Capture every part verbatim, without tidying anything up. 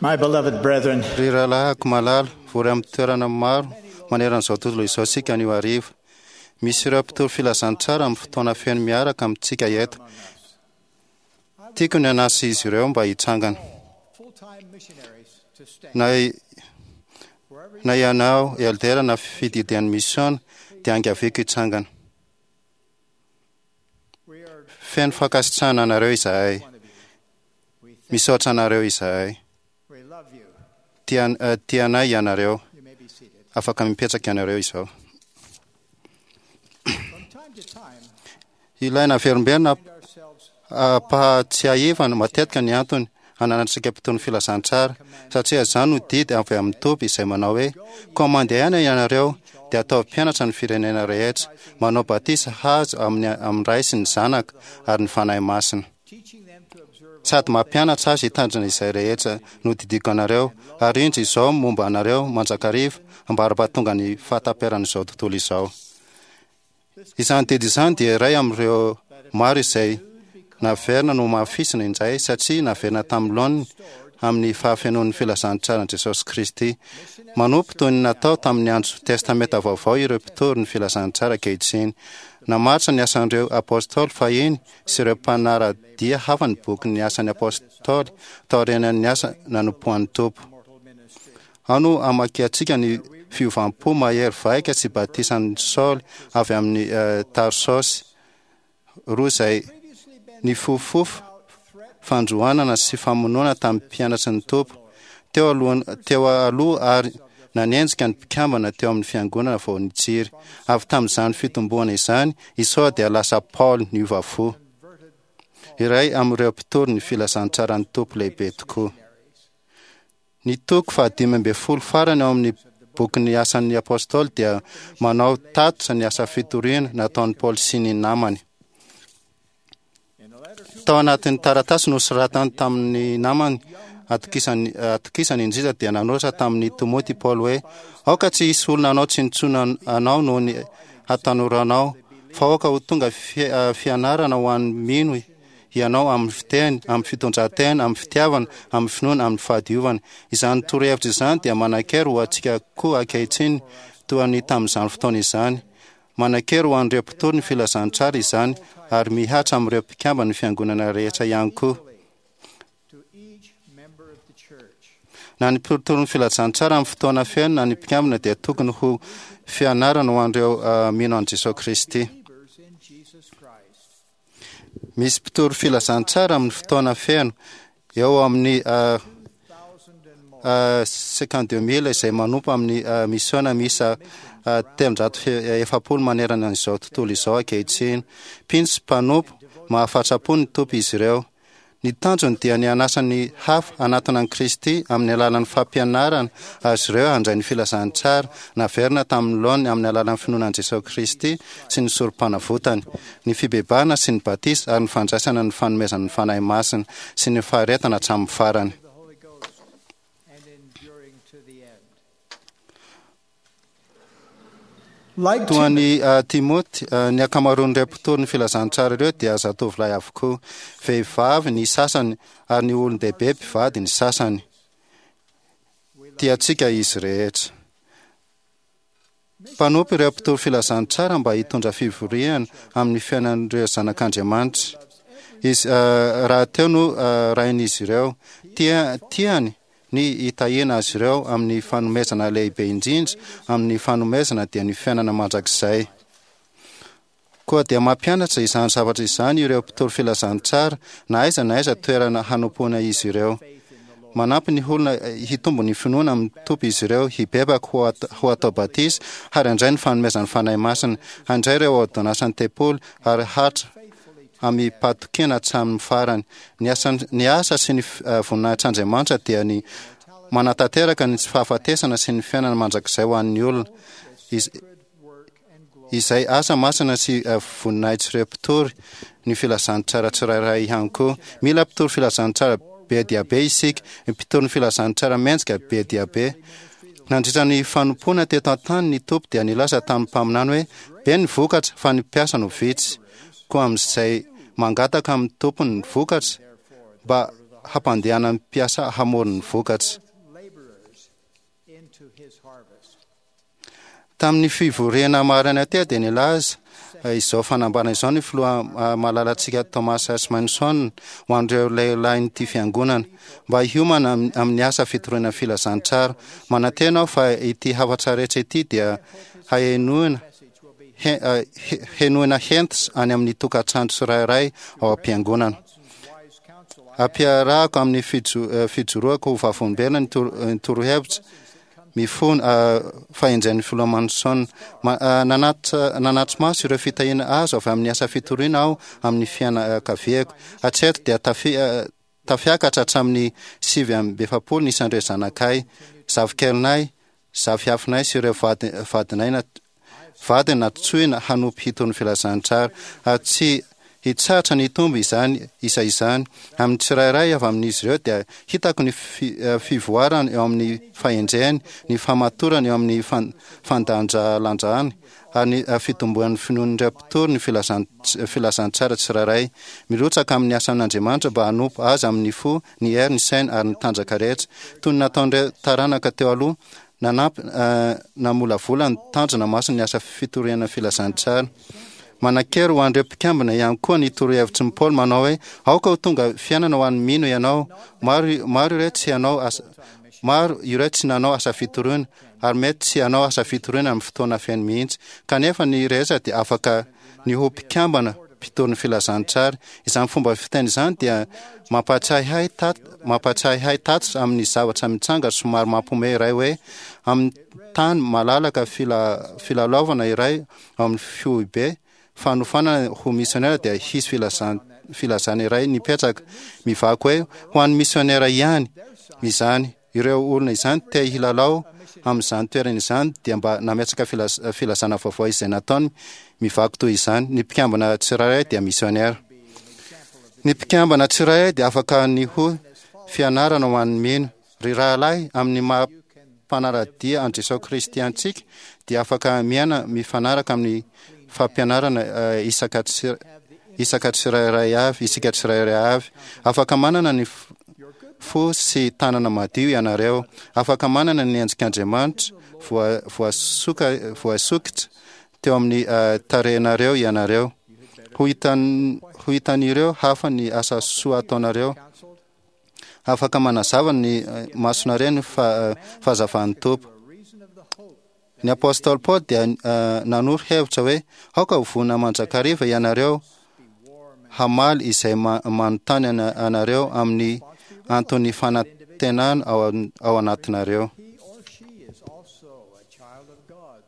My beloved brethren, Ry rahalahiko malala, vory amin'ny toerana maro maneran'izao tontolo izao isika anio hariva. Misy ireo mpitory filazantsara amin'ny fotoana feno miaraka amintsika eto. Tiako ny hanasa izy ireo mba hitsangana. full-time missionaries to stand. Na, na ianao eldera na fididian'ny mission dia angaviako hitsangana. We are Feno fankasitrahana anareo izahay. one of you. We thank, Misaotra anareo izahay. we love you. Tia- eh, Tianay ianareo. You may be seated. Afaka mipetraka ianareo izao. From time to time, Ilaina averimberina find ourselves ampahatsiahivana matetika ny antony ananantsika mpitory ny filazantsara satria izany no didy avy amin'ny Tompo izay manao hoe koa mandehana ianareo dia ataovy mpianatra ny firenena rehetra manao batisa hazo amin'ny amin'ny Ray sy ny Zanaka ary ny Fanahy Masina teaching them to observe sady mampianatra azy hitandrina izay rehetra no didiko anareo ary indro izao momba anareo mandrakariva ambara-pahatonga ny fahataperan'izao tontolo izao. Izany didy izany dia iray amin'ireo maro izay naverina no hamafisina indray satria naverina tamin'ny laoniny amin'ny fahafenoan'ny filazantsaran'i Jesosy Kristy. Manompo toy ny natao tamin'ny andro Testamenta Vaovao ireo mpitory ny filazantsara ankehitriny. Namaritra ny asan'ireo apôstôly fahiny sy ireo mpanara-dia hafa ny boky ny asan'ny apôstôly taorian'ny asa nanompoan'ny Tompo. mortal ministry. Ao no hamakiantsika ny fiovam-po mahery vaika sy batisan'i Saoly avy amin'ny eh, Tarsosy roa izay Previously been nifofofo threat fandroanana sy famonoana tamin'ny mpianatry ny Tompo teo alohan- teo aloha ary nanenjika ny mpikambana teo amin'ny fiangonana vao nitsiry. Avy tamin'izany fitomboana izany, i Saoly dia lasa Paoly niova fo. converted Iray amin'ireo mpitory ny filazantsaran'ny Tompo lehibe tokoa. missionaries. Ny toko fahadimy ambin'ny folo farany ao amin'ny bokin'ny asan'ny apôstôly dia manao tatitra ny asa fitoriana nataon'i Paoly sy ny namany. In a letter to Tao anatin'ny taratasy nosoratany tamin'ny namany atokisany atokisany indrindra dia nanoratra tamin'ny Timoty Paoly hoe aoka tsy hisy olona anao tsinontsinona anao noho ny hatanoranao fa aoka ho tonga fi- eh, fianarana ho an'ny mino ianao amin'ny fiteny, amin'ny fitondran-tena, amin'ny fitiavana, amin'ny finoana, amin'ny fahadiovana. Izany torohevitra izany dia manan-kery ho antsika koa ankehitriny toa ny tamin'izany fotoana izany. Manan-kery ho an'ireo mpitory ny filazantsara izany ary mihatra amin'ireo mpikambana ny fiangonana rehetra ihany koa. to each member of the church. Na ny mpitory ny filazantsara amin'ny fotoana feno na ny mpikambana dia tokony ho fianarana ho an'ireo eh, mino an'i Jesosy Kristy. Believers in Jesus Christ. Misy mpitory filazantsara amin'ny fotoana feno eo amin'ny eh, Thousand and more. eh, cinquante-deux mille izay manompo amin'ny eh, misiona miisa eh, telonjato fe- efapolo manerana an'izao tontolo izao ankehitriny. Mpino sy mpanompo mahafatram-po ny Tompo izy ireo. Ny tanjony dia ny hanasa ny hafa hanatona an'i Kristy amin'ny alalan'ny fampianarana azy ireo handray ny filazantsara naverina tamin'ny laoniny amin'ny alalan'ny finoana an'i Jesosy Kristy sy ny sorom-panavotany, ny fibebahana sy ny batisa ary ny fandraisana ny fanomezan'ny Fanahy Masina sy ny faharetana hatramin'ny farany. The Holy Ghost and enduring to the end. Like Toa ny uh, Timoty, uh, ny ankamaroan'ireo mpitory ny filazantsara ireo dia zatovolahy avokoa, vehivavy ny sasany ary ny olon-dehibe mpivady ny sasany. Tiantsika izy rehetra. Mpanompo ireo mpitory filazantsara mba hitondra fivoriana amin'ny fiainan'ireo zanak'Andriamanitra. Izy uh, raha teo no uh, rain'izy ireo, tia tiany ny hitahiana azy ireo amin'ny fanomezana lehibe indrindra amin'ny fanomezana dia ny fiainana mandrakizay. Koa dia mampianatra izany zavatra izany ireo mpitory filazantsara na aiza na aiza toerana hanompoana izy ireo. Manampy ny olona eh, hitombo ny finoana amin'ny Tompo izy ireo, hibebaka ho at- ho atao batisa ary handray ny fanomezan'ny Fanahy Masina, handray ireo ôrdônansan'ny tempoly ary hatra amim-pahatokiana hatramin'ny farany. Ny asan- ny asa sy ny f- eh, voninahitr'Andriamanitra dia ny manatanteraka ny tsy fahafatesana sy ny fiainana mandrakizay ho an'ny olona. Iz- work and glory. izay asa masina sy eh, voninahitr'ireo mpitory ny filazantsara tsirairay ihany koa. Mila mpitory filazantsara be dia be isika, mpitory ny filazantsara mendrika be dia be. Nandritra ny fanompoana teto an-tany ny Tompo dia nilaza tamin'ny mpaminany hoe be ny vokatra fa ny mpiasa no vitsy. Koa amin'izay mangataka amin'ny Tompony ny vokatra mba hampandehanany mpiasa hamory ny vokatra. Laborers into his harvest. Tamin'ny fivoriana maraina teo dia nilaza eh, izao fanambarana izao ny filoha eh, malalantsika Thomas S. Manson ho an'ireo lehilahin'ity fiangonana mba hiomana am- amin'ny asa fitoriana filazantsara. Manantena aho fa ity hafatra rehetra ity dia hahenoina Message will be he- eh, he- henoina hentitra any amin'ny tokantrano tsirairay ao am-piangonana. Johnson's wise counsel. I Ampiarahako amin'ny fijo- eh, fijoroako ho vavolombelona ny toro- ny torohevitra mifono eh, fahendren'ny filoha Manson. Ma- eh, nanatitra nanatri-maso ireo fitahiana azo avy amin'ny asa fitoriana aho amin'ny fianakaviako. Hatreto dia tafi- eh, tafiakatra hatramin'ny sivy amby efapolo ny isan'ireo zanakay, zavikelinay, zafiafinay sy ireo vady- vadinay na- vadiny nantsoina hanompo hitory ny filazantsara ary tsy hitsahatra ny hitombo izany isa izany. Amin'ny tsirairay avy amin'izy ireo dia hitako ny fi- eh, fivoarany eo amin'ny fahendreny, ny famatorany eo amin'ny fan- fandanjalanjany ary ny eh, fitomboan'ny finoan'ireo mpitory ny filazan- filazantsara tsirairay. Mirotsaka amin'ny asan'Andriamanitra mba hanompo azy amin'ny fo, ny hery, ny saina ary ny tanjaka rehetra toy ny nataon'ireo taranaka teo aloha. Nanampy eh, namolavola ny tanjona masina ny asa fitoriana filazantsara. Manan-kery ho an'ireo mpikambana ihany koa ny torohevitry ny Paoly manao hoe aoka ho tonga fiainana ho an'ny mino ianao. Maro maro ireo tsy hanao asa maro ireo tsy nanao asa fitoriana ary mety tsy hanao asa fitoriana amin'ny fotoana feno mihitsy. Kanefa ny rehetra dia afaka ny ho mpikambana mpitory ny filazantsara. Izany fomba fiteny izany dia mampahatsiahy ahy tat mampahatsiahy ahy tatitra amin'ny zavatra mitsanga somary mampiomehy iray hoe amin'ny tany malalaka fila filalaovana iray ao amin'ny foibe fanofanana ho misionera dia hisy filazan filazana iray nipetraka mivaky hoe ho an'ny misionera ihany izany. Ireo olona izany te hilalao amin'izany toerana izany dia mba nametraka filaz- filazana vaovao izay nataony mivaky toy izany. Ny mpikambana tsirairay dia misionera. Ny mpikambana tsirairay dia afaka ny ho fianarana ho an'ny mino. Ry rahalahy, amin'ny maha mpanara-dia an'i Jesosy Kristy antsika dia afaka miaina mifanaraka amin'ny fampianarana eh, isaka tsir- isaka tsirairay avy, isika tsirairay avy. Afaka manana ny f- fo sy tanana madio ianareo. Afaka manana ny endrik'Andriamanitra voa- voasoka voasokitra teo amin'ny eh, tarehinareo ianareo. Ho hitan- ho hitan'ireo hafa ny asa soa ataonareo. counseled Afaka manazava ny eh, masonareo ny fa- eh, fahazavan'ny Tompo. the reason of the hope Ny apôstôly Paoly dia eh, nanoro hevitra hoe aoka ho vonona mandrakariva ianareo be warm and hamaly izay ma- manontany ana- anareo amin'ny anton'ny fanantenana ao an- ao anatinareo. he or she is also a child of God.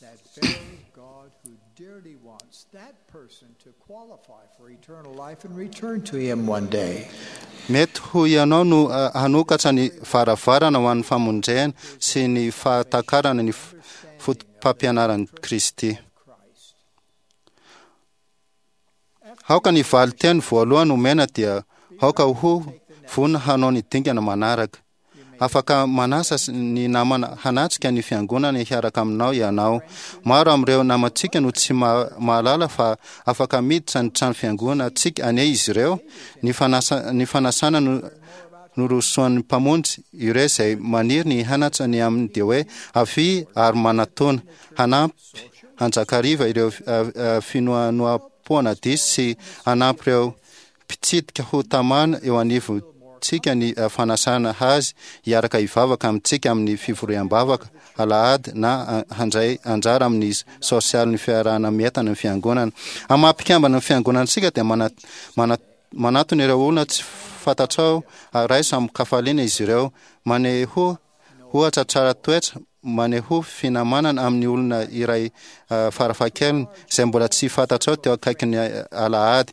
That very God who dearly wants that person to qualify for eternal life and return to him one day. Mety ho ianao no eh, hanokatra ny varavarana ho an'ny famonjena sy ny fahatakarana ny f- foto-pampianaran'i Kristy. Christ. Aoka ny valin-teny voalohany omena dia aoka ho vonona hanao ny dingana manaraka. Afaka manasa s- ny namana hanatrika ny fiangonana hiaraka aminao ianao. Maro amin'ireo namantsika no tsy ma- mahalala fa afaka miditra ny trano fiangonantsika anie izy ireo. Ny fanasa- ny fanasana no norosoan'ny mpamonjy ireo izay maniry ny hanatra ny aminy dia hoe avia ary manatona hanampy hanjakariva ireo eh, eh, finoanoam-poana diso sy hanampy ireo mpitsidika ho tamana eo anivontsika ny eh, fanasana azy hiaraka hivavaka amintsika amin'ny fivoriam-bavaka alahady na eh, handray anjara amin'ny sosialin'ny fiarahana mientana ny fiangonana. Amin'ny maha mpikambana ny fiangonantsika dia mana- mana- manatona ireo olona tsy fantatrao ary raiso amin-kafaliana izy ireo. Maneho ohatra tsara toetra, maneho finamanana amin'ny olona iray eh, farafahakeliny izay mbola tsy fantatrao teo akaikin'ny eh, alahady.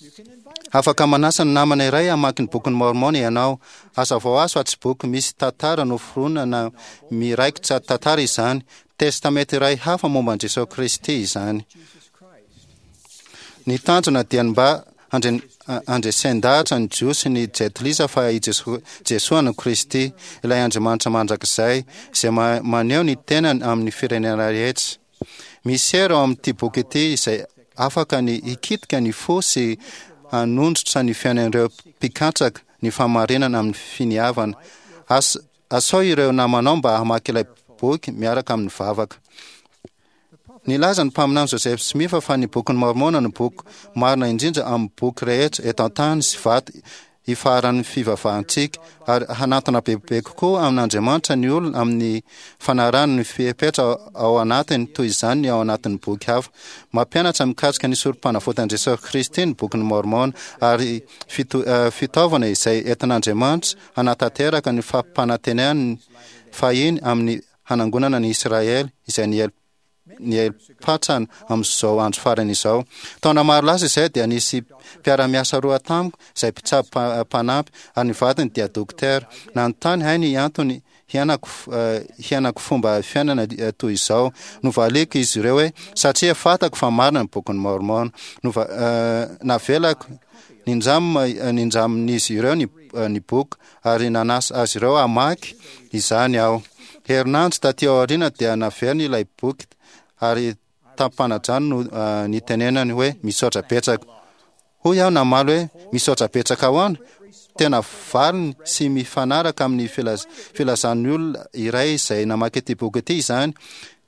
You can invite a Afaka manasa ny namana iray hamaky ny bokin'ny Mormon ianao. Hazavao azy fa tsy boky misy tantara noforonina na miraikitra tantara izany. Testamenta iray hafa momba an'i Jesosy Kristy izany. Jesus Christ. Ny tanjona dia ny mba handre- handresen-dahatra ny Jiosy sy ny Jentilisa fa i Jeso- Jesoa no Kristy, ilay Andriamanitra mandrakizay, izay ma- maneho ny tenany amin'ny firenena rehetra. Misy hery ao amin'ity boky ity izay afaka ny hikitika ny fo sy hanondrotra ny fiainan'ireo mpikatsaka ny fahamarinana amin'ny finiavana. As, asao ireo namanao mba hamaky ilay boky miaraka amin'ny vavaka. Nilaza ny mpaminany Joseph Smith fa ny Bokin'i Môrmôna no boky marina indrindra amin'ny boky rehetra eto an-tany sy vato ifaharan'ny fivavahantsika, ary hanantona bebe kokoa amin'Andriamanitra ny olona amin'ny fanarahana ny fepetra ao anatiny, toy izany ny ao anatin'ny boky hafa. Mampianatra mikasika ny Sorompanavotan'i Jesosy Kristy ny Bokin'i Môrmôna, ary fitaovana izay entin'Andriamanitra hanatanteraka ny fampanantenany fahiny amin'ny hanangonana ny Isiraely izay niely niely-patrana amin'izao andro farany izao. Taona maro lasa izay dia nisy mpiara-miasa roa tamiko izay mpitsabo mpanampy ary ny vadiny dia dokotera. Nanontany ahy ny antony hiainako hiainako fomba fiainana toy izao. Novaliako izy ireo hoe satria fantako fa marina ny Bokin'i Môrmôna. Nova, navelako nindram nindramin'izy ireo ny ny boky ary nanasa azy ireo hamaky izany aho. Herinandro taty aoriana dia naveriny ilay boky ary tamim-panajana no nitenenany hoe misaotra betsaka. Hoy aho namaly hoe misaotra betsaka ahoana? Tena valiny sy mifanaraka amin'ny filazan'ny olona iray izay namaky ity boky ity izany.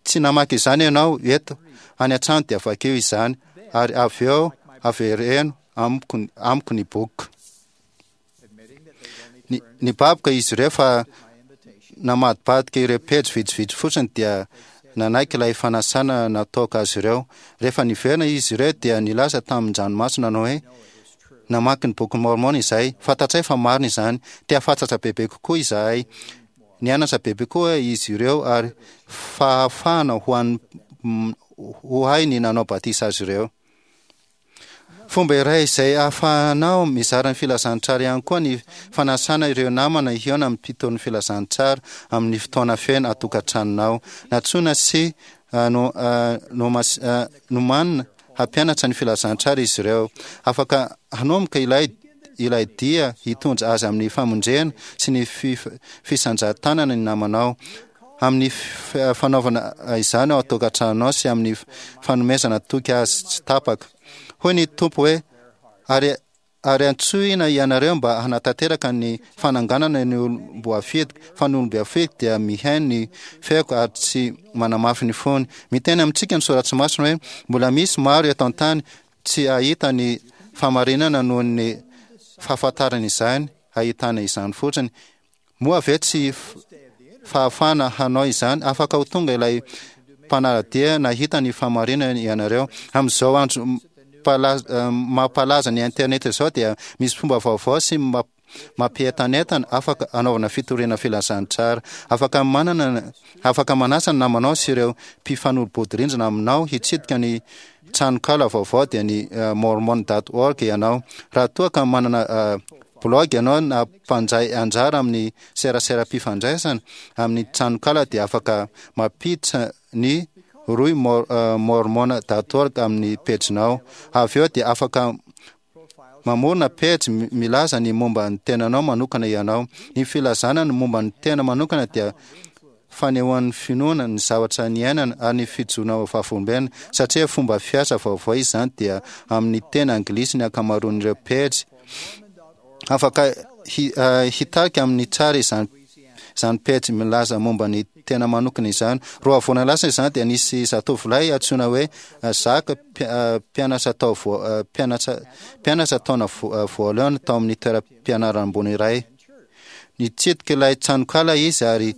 Tsy namaky izany ianao eto, any an-trano dia vakio izany ary avy eo avereno amiko, amiko ny boky. Nibaboka izy ireo fa namadibadika ireo pejy vitsivitsy fotsiny dia nanaiky ilay fanasana nataoko azy ireo. Rehefa niverina izy ireo dia nilaza tamin-dranomaso nanao hoe, Namaky ny Bokin'i Môrmôna izahay. Fantatray fa marina izany. Te hahafantatra bebe kokoa izahay. Nianatra bebe koa izy ireo ary fahafahana ho an'ny ho ahy ny nanao batisa azy ireo. Fomba iray izay ahafahanao mizara ny filazantsara ihany koa ny fanasana ireo namana hihaona amin'ny mpitory ny filazantsara amin'ny fotoana feno an-tokantranonao. Nantsoina sy nomanina hampianatra ny filazantsara izy ireo. Afaka hanomboka ilay ilay dia hitondra azy amin'ny famonjena sy ny fisandratanana ny namanao. Amin'ny fanaovana izany ao an-tokantranonao sy amin'ny fanomezana toky azy tsy tapaka. Hoy ny Tompo hoe, Ary, ary antsoina ianareo mba hanatanteraka ny fananganana ny olom-boafidiko, fa ny olom-boafidiko dia mihaino ny feoko ary tsy manamafy ny fony. Miteny amintsika ny Soratra Masina hoe, Mbola misy maro eto an-tany tsy hahita ny fahamarinana noho ny fahafantarana izany, hahitana izany fotsiny. Moa ve tsy fahafahana hanao izany? Afaka ho tonga ilay mpanara-dia nahita ny fahamarinana ianareo. Amin'izao andro mampalaza ny internet izao dia misy fomba vaovao sy mampientanentana afaka anaovana fitoriana filazantsara. Afaka manana afaka manasa ny namanao sy ireo mpifanolo-bodirindrina aminao hitsidika ny tranonkala vaovao dia ny mormon dot org ianao. Raha toa ka manana Blaogy ianao na mpandray anjara amin'ny seraseram-pifandraisana amin'ny tranonkala dia afaka mampiditra ny rohy mormon dot org amin'ny pejinao. Avy eo dia afaka mamorona pejy milaza ny momba ny tenanao manokana ianao. Ny filazana ny momba ny tena manokana dia fanehoan'ny finoana ny zavatra niainana ary ny fijoroana ho vavolombelona. Satria fomba fiasa vaovao izany dia amin'ny teny anglisy ny ankamaroan'ireo pejy. Afaka hitarika amin'ny tsara izany izany pejy milaza momba ny tena manokana izany. Roa volana lasa izany dia nisy zatovolahy antsoina hoe Zaka, mpianatra tao mpianatra mpianatra taona voalohany tao amin'ny toeram-pianarana ambony iray. Nitsidika ilay tranonkala izy ary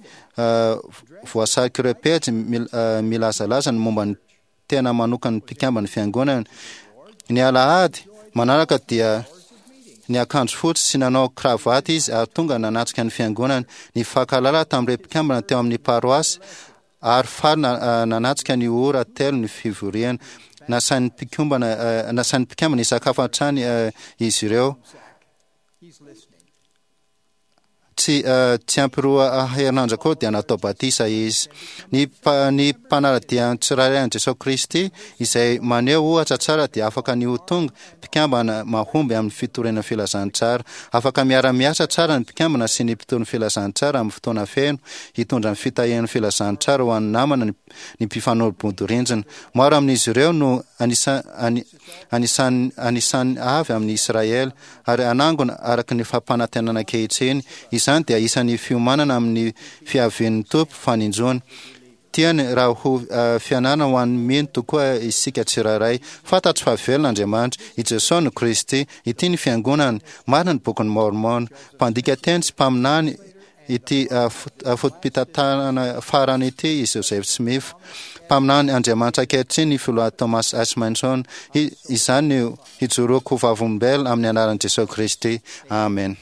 voasarik'ireo pejy milazalaza ny momba ny tena manokan'ny mpikamban'ny fiangonana. Ny alahady manaraka dia niakanjo fotsy sy nanao kravaty izy ary tonga nanatrika ny fiangonana. Nifankahalala tamin'ireo mpikambana teo amin'ny paroasy ary faly nanatrika ny ora telo ny fivoriana. Nasain'ny mpikambana nasain'ny mpikambana hisakafo hatrany izy ireo. Tsy Tsy tsy ampy roa herinandro akory dia natao batisa izy. Ny ny mpanara-dia tsirairay an'i Jesosy Kristy izay maneho ohatra tsara dia afaka ny ho tonga mpikambana mahomby amin'ny fitoriana filazantsara. Afaka miara-miasa tsara ny mpikambana sy ny mpitory filazantsara amin'ny fotoana feno hitondra ny fitahian'ny filazantsara ho an'ny namana ny ny mpifanolo-bodirindrina. Maro amin'izy ireo no anisa anisan'ny anisan'ny avy amin'ny Israely ary anangona araka ny fampanantenana ankehitriny. Izany dia isan'ny fiomanana amin'ny fiavian'ny Tompo faninjoany. Tiany raha ho fianarana ho an'ny mino tokoa isika tsirairay. Fantatro fa velona Andriamanitra. I Jesosy no Kristy. Ity ny fiangonany. Marina ny bokin'i Mormon. Mpandika teny sy mpaminany ity foto-pitantanana farany ity i Joseph Smith. Mpaminany Andriamanitra ankehitriny ny filoha Thomas S. Monson. Izany no hijoroako ho vavolombelona amin'ny anaran'i Jesosy Kristy. Amen.